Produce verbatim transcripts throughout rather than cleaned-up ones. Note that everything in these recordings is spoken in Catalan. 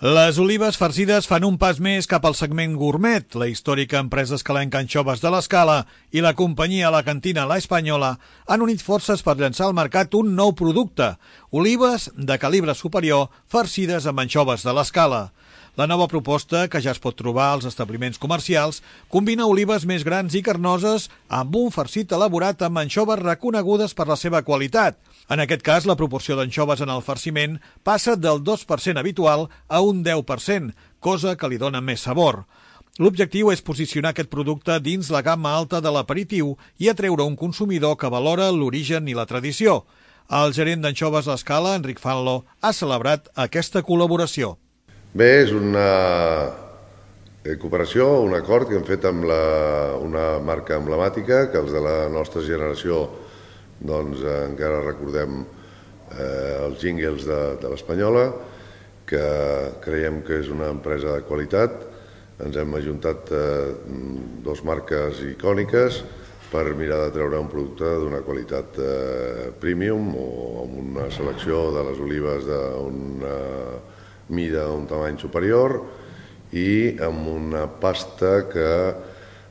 Les olives farcides fan un pas més cap al segment gourmet. La històrica empresa escalenca Anxoves de l'Escala i la companyia La Cantina La Española han unit forces per llançar al mercat un nou producte, olives de calibre superior farcides amb anxoves de l'Escala. La nova proposta, que ja es pot trobar als establiments comercials, combina olives més grans i carnoses amb un farcit elaborat amb anxoves reconegudes per la seva qualitat. En aquest cas, la proporció d'anxoves en el farciment passa del dos per cent habitual a un deu per cent, cosa que li dona més sabor. L'objectiu és posicionar aquest producte dins la gamma alta de l'aperitiu i atreure un consumidor que valora l'origen i la tradició. El gerent d'Anxoves l'Escala, Enric Fanlo, ha celebrat aquesta col·laboració. Bé, és una cooperació, un acord que hem fet amb la, una marca emblemàtica que els de la nostra generació doncs, encara recordem eh, els jingles de, de l'Espanyola, que creiem que és una empresa de qualitat. Ens hem ajuntat eh, dos marques icòniques per mirar de treure un producte d'una qualitat eh, premium o amb una selecció de les olives d'una mida un tamany superior i amb una pasta que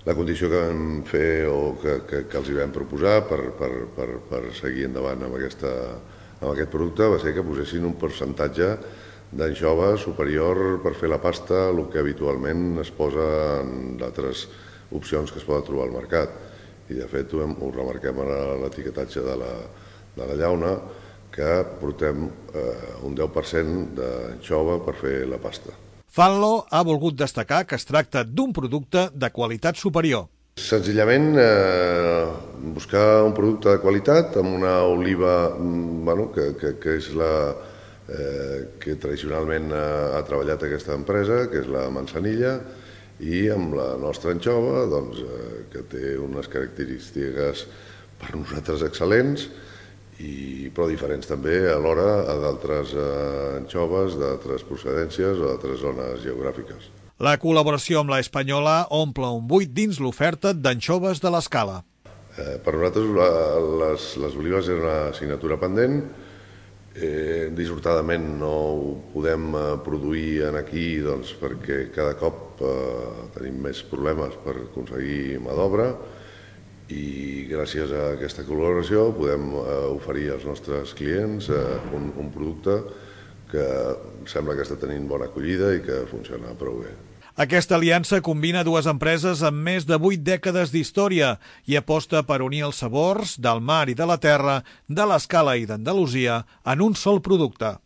la condició que vam fer o que, que, que els hi vam proposar per, per, per, per seguir endavant amb, aquesta, amb aquest producte va ser que posessin un percentatge d'anxova superior per fer la pasta, el que habitualment es posa en d'altres opcions que es poden trobar al mercat. I de fet ho, hem, ho remarquem a l'etiquetatge de, la, de la llauna, que portem eh, un deu per cent d'anxova per fer la pasta. Fanlo ha volgut destacar que es tracta d'un producte de qualitat superior. Senzillament eh, buscar un producte de qualitat amb una oliva bueno, que, que, que és la eh, que tradicionalment ha, ha treballat aquesta empresa, que és la manzanilla, i amb la nostra anxova, doncs, eh, que té unes característiques per nosaltres excel·lents, i, però diferents també alhora a d'altres eh, anxoves d'altres procedències o d'altres zones geogràfiques. La col·laboració amb la Española omple un buit dins l'oferta d'anxoves de l'Escala. Eh, per nosaltres la, les, les olives és una assignatura pendent. Eh, dissortadament no ho podem eh, produir en aquí doncs, perquè cada cop eh, tenim més problemes per aconseguir mà d'obra, i gràcies a aquesta col·laboració podem eh, oferir als nostres clients eh, un, un producte que sembla que està tenint bona acollida i que funciona prou bé. Aquesta aliança combina dues empreses amb més de vuit dècades d'història i aposta per unir els sabors del mar i de la terra, de l'Escala i d'Andalusia en un sol producte.